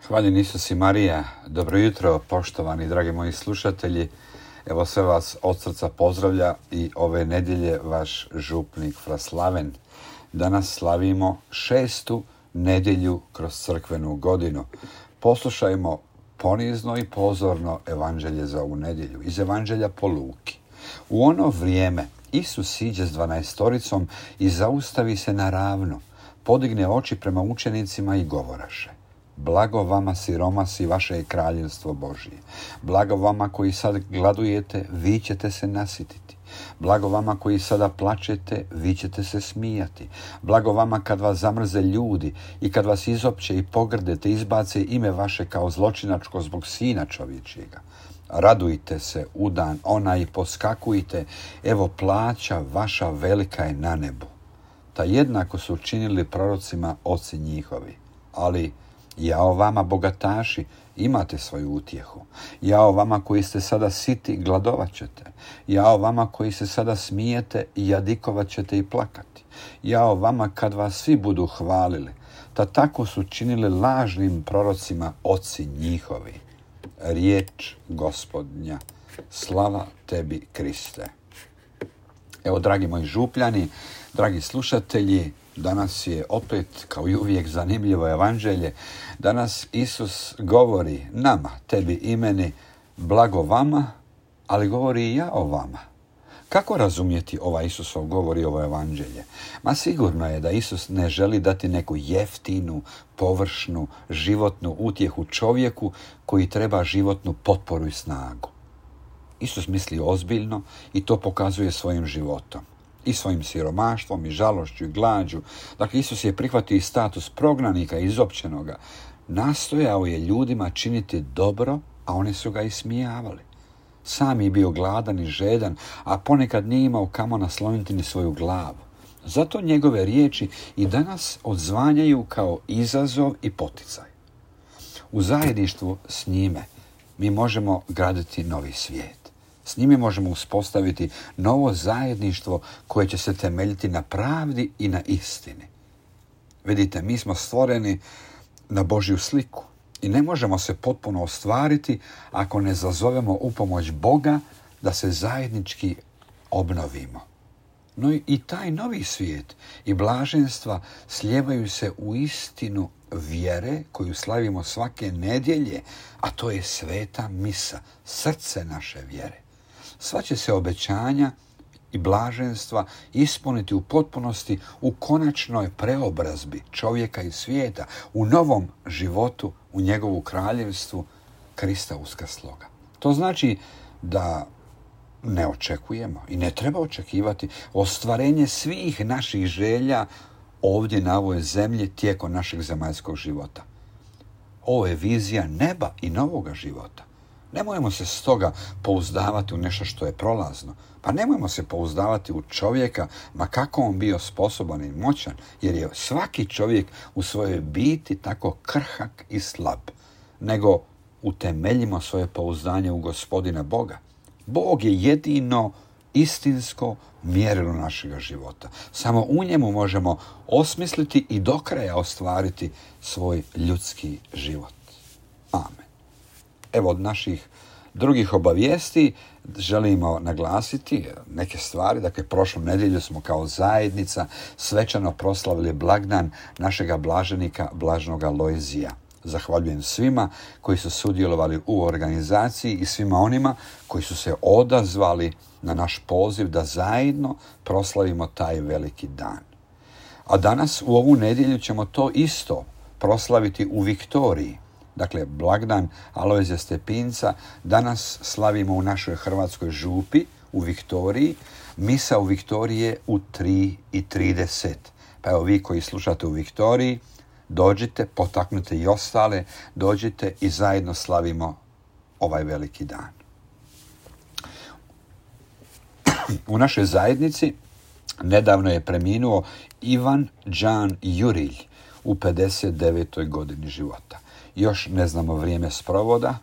Hvaljen Isus i Marija, dobro jutro poštovani dragi moji slušatelji. Evo sve vas od srca pozdravlja i ove nedjelje vaš župnik Fra Slaven. Danas slavimo 6. nedjelju kroz crkvenu godinu. Poslušajmo ponizno i pozorno evanđelje za ovu nedjelju iz evanđelja po Luki. U ono vrijeme Isus siđe s 12 i zaustavi se na ravno, podigne oči prema učenicima i govoraše: Blago vama siromasi, vaše je kraljevstvo Božije. Blago vama koji sad gladujete, vi ćete se nasititi. Blago vama koji sada plačete, vi ćete se smijati. Blago vama kad vas zamrze ljudi i kad vas izopće i pogrde te izbace ime vaše kao zločinačko zbog Sina čovječjega. Radujte se u dan onaj i poskakujte, evo plaća vaša velika je na nebu. Ta jednako su činili prorocima oci njihovi. Ali jao vama bogataši, imate svoju utjehu. Jao vama koji ste sada siti, gladovat ćete. Jao vama koji se sada smijete, jadikovat ćete i plakati. Jao vama kad vas svi budu hvalili. Tako su činili lažnim prorocima oci njihovi. Riječ Gospodnja. Slava tebi, Kriste. Evo, dragi moji župljani, dragi slušatelji, danas je opet, kao i uvijek, zanimljivo evanđelje. Danas Isus govori nama, tebi i meni, blago vama, ali govori i ja o vama. Kako razumjeti ovaj Isusov govor i ovo evanđelje? Sigurno je da Isus ne želi dati neku jeftinu, površnu, životnu utjehu čovjeku koji treba životnu potporu i snagu. Isus misli ozbiljno i to pokazuje svojim životom. I svojim siromaštvom, i žalošću, i glađu. Dakle, Isus je prihvatio status prognanika, izopćenoga. Nastojao je ljudima činiti dobro, a oni su ga ismijavali. Sam je bio gladan i žedan, a ponekad nije imao kamo nasloniti ni svoju glavu. Zato njegove riječi i danas odzvanjaju kao izazov i poticaj. U zajedništvu s njime mi možemo graditi novi svijet. S njime možemo uspostaviti novo zajedništvo koje će se temeljiti na pravdi i na istini. Vidite, mi smo stvoreni na Božju sliku i ne možemo se potpuno ostvariti ako ne zazovemo upomoć Boga da se zajednički obnovimo. No i taj novi svijet i blaženstva slijevaju se u istinu vjere koju slavimo svake nedjelje, a to je sveta misa, srce naše vjere. Sva će se obećanja i blaženstva ispuniti u potpunosti u konačnoj preobrazbi čovjeka i svijeta, u novom životu, u njegovu kraljevstvu Krista uskrsloga. To znači da ne očekujemo i ne treba očekivati ostvarenje svih naših želja ovdje na ovoj zemlji tijekom našeg zemaljskog života. Ovo je vizija neba i novoga života. Nemojmo se stoga pouzdavati u nešto što je prolazno. Nemojmo se pouzdavati u čovjeka, ma kako on bio sposoban i moćan, jer je svaki čovjek u svojoj biti tako krhak i slab. Nego utemeljimo svoje pouzdanje u Gospodina Boga. Bog je jedino istinsko mjerilo našega života. Samo u njemu možemo osmisliti i do kraja ostvariti svoj ljudski život. Amen. Evo, od naših drugih obavijesti želimo naglasiti neke stvari. Dakle, prošlu nedjelju smo kao zajednica svečano proslavili blagdan našega blaženika, blaženoga Lojzija. Zahvaljujem svima koji su sudjelovali u organizaciji i svima onima koji su se odazvali na naš poziv da zajedno proslavimo taj veliki dan. A danas u ovu nedjelju ćemo to isto proslaviti u Viktoriji. Dakle, blagdan Alojzija Stepinca danas slavimo u našoj hrvatskoj župi u Viktoriji. Misa u Viktoriji je u 3:30. Pa evo, vi koji slušate u Viktoriji, dođite, potaknite i ostale, dođite i zajedno slavimo ovaj veliki dan. U našoj zajednici nedavno je preminuo Ivan Đan Jurilj u 59. godini života. Još ne znamo vrijeme sprovoda,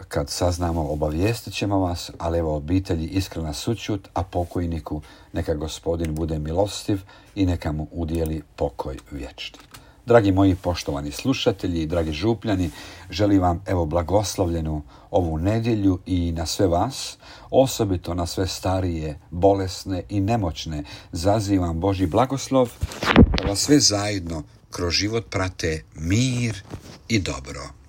kad saznamo obavijestit ćemo vas, ali evo, obitelji iskrena sućut, a pokojniku neka Gospodin bude milostiv i neka mu udijeli pokoj vječni. Dragi moji poštovani slušatelji i dragi župljani, želim vam blagoslovljenu ovu nedjelju i na sve vas, osobito na sve starije, bolesne i nemoćne, zazivam Božji blagoslov da vas sve zajedno kroz život prate mir i dobro.